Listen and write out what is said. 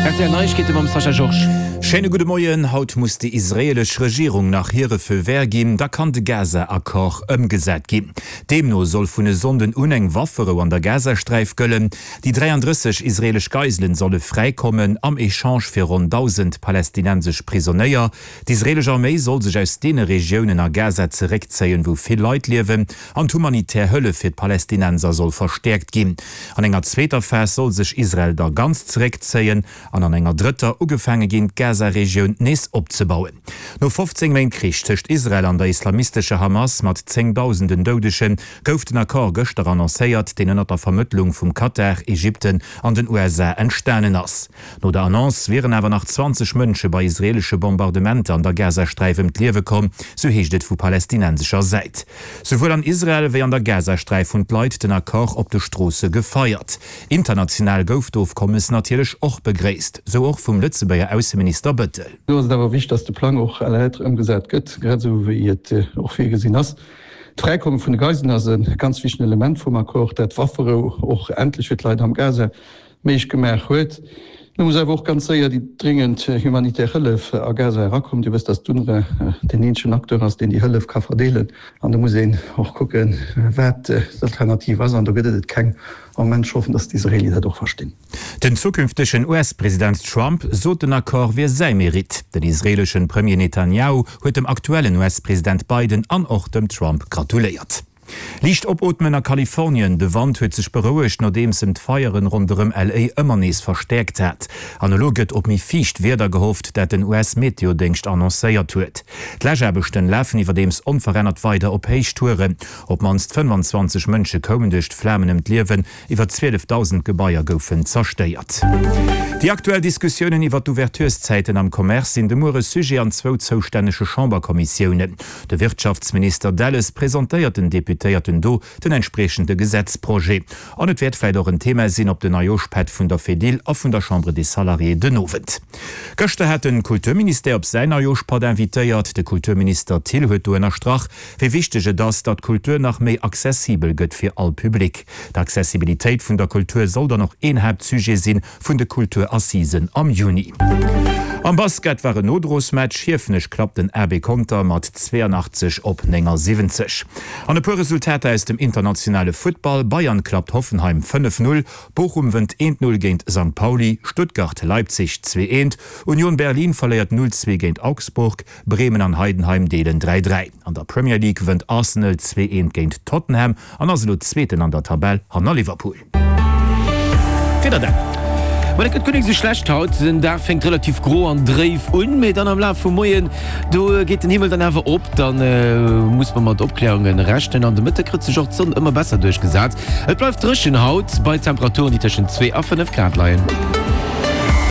Rtl Neiegkeete mam Sascha Georges. Schéine gudde Moien. Haut muss déi israeelesch Regierung nach hire Feu vert ginn, da kann de Gaza-Accord ëmgesat ginn. Deemno soll vun e Sonnden un eng Wafferou an der Gazasträif gëllen. Déi 33 israeelesch Geiselen solle fräikommen, am Echange fir ronn 1.000 palästinensesch Prisonéier. D'israeelesch Arméi soll sech aus deene Regiounen a Gaza zeréckzéien, wou vill Leit liewen, an d'humanitär Hëllef fir d'Palästinenser soll verstäerkt ginn. An enger zweeter Phas soll sech Israel da ganz zeréckzéien an an enger drëtter ugefaange ginn, d'Gaza-Regioun nees opzebauen. No 15 Méint Krich tëscht Israel an der islamistescher Hamas mat zéngdausenden Doudegen, gouf den Accord gëschter annoncéiert, deen ënnert der Vermëttlung vum Katar, Ägypten an den USA entstanen ass. No der Annonce wieren awer nach 20 Mënsche bei israeelesche Bombardementer an der Gazasträif ëm d'Liewe komm, sou heescht et vu palästinensescher Säit. Souwuel an Israel wéi an der Gazasträif hunn d'Leit den Accord op de Stroosse gefeiert. International gouf d'Ofkommes natierlech och begréisst, sou och vum Lëtzebuerger Ausseminister Bëttel. Do ass et awer wichteg, dass de Plang och à la lettre ëmgesat gëtt, grad esou wéi et och virgesinn ass. D'Fräikomme vun de Geiselen ass e ganz wichtegen Element vum Accord, dat d'Wafferou och endlech fir d'Leit am Gaza méiglech gemaach huet. Elo muss awer och ganz séier déi dringend humanitär Hëllef a Gaza erakommen. Dir wësst, datt d'UNRWA deen eenzegen Acteur ass, deen déi Hëllef ka verdeelen. An do muss een och kucken, wat d'Alternativ ass. An do gëtt et et keng am Moment. Ech hoffen, datt d'Israeeli dat och verstinn. Den zukünftegen US-President Trump sot, den Accord wier säi Meritt. Den israeeleschen Premier Netanjahu huet dem aktuellen US-President Biden an och dem Trump gratuléiert. Liicht opootmen a Kalifornien, De Wand huet sech berouegt, nodeems en d'Feieren ronderëm LA ëmmer nees verstäerkt hat. An elo gëtt op méi fiicht Wieder gehofft, dat den US-Meteodéngscht annoncéiert huet. D'Läschaarbechten lafen iwwerdeems onverännert weider op Héichtouren. Op d'mannst 25 Mënsche koumen duerch d'Flamen ëm d'Liewen, Iwwer 12.000 Gebaier goufen zerstéiert. Déi aktuell Diskussiounen iwwer d'Ouvertureszäiten am Commerce sinn de Muere Sujet an zwou zoustännege Chamberkommissiounen. De Wirtschaftsminister Delles presentéiert den Deputéierten do den entspriechende Gesetzprojet. An et wäert vläit och en Thema sinn op den Neijooschpätt vun der Fedil a vun der Chambre des Salariés den Owend. Gëschter hat de Kulturministère op säin Neijooschpatt invitéiert. De Kulturminister Thill huet do ënnerstrach, wéi wichteg et ass, datt d'Kultur nach méi accessibel gëtt fir all Public. D'Accessibilitéit vun der Kultur soll dann och een Haaptsujet si vun de Kulturassisen am Juni. Am Basket war en Nodrosmatch, Hiefenech klappt den AB Conter mat 82 op 79. An e puer Resultater aus dem internationale Futtball, Bayern klappt Hoffenheim 5, 0, Bochum wënnt 1, 0 géint Sankt Pauli, Stuttgart, Leipzig 2, 1, Union Berlin verléiert 0, 2 géint Augsburg, Bremen an Heidenheim deelen 3, 3. An der Premier League wënnt Arsenal 2, 1 géint Tottenham an ass elo Zweeten an der Tabell hanner Liverpool. Wieder dann. Ma dat gëtt guer nik esou schlecht haut. Den Dag fänkt relativ gro an dréif un, mee dann am Laf vum Moien, do geet den Himmel dann awer op. Dann muss mer mat Opklärunge rechnen an de Mëtte kritt sech och d'Sonn ëmmer besser duerchgesat. Et bleift dréchen haut bei Temperaturen, déi tëschent 2 a 5 Grad leien.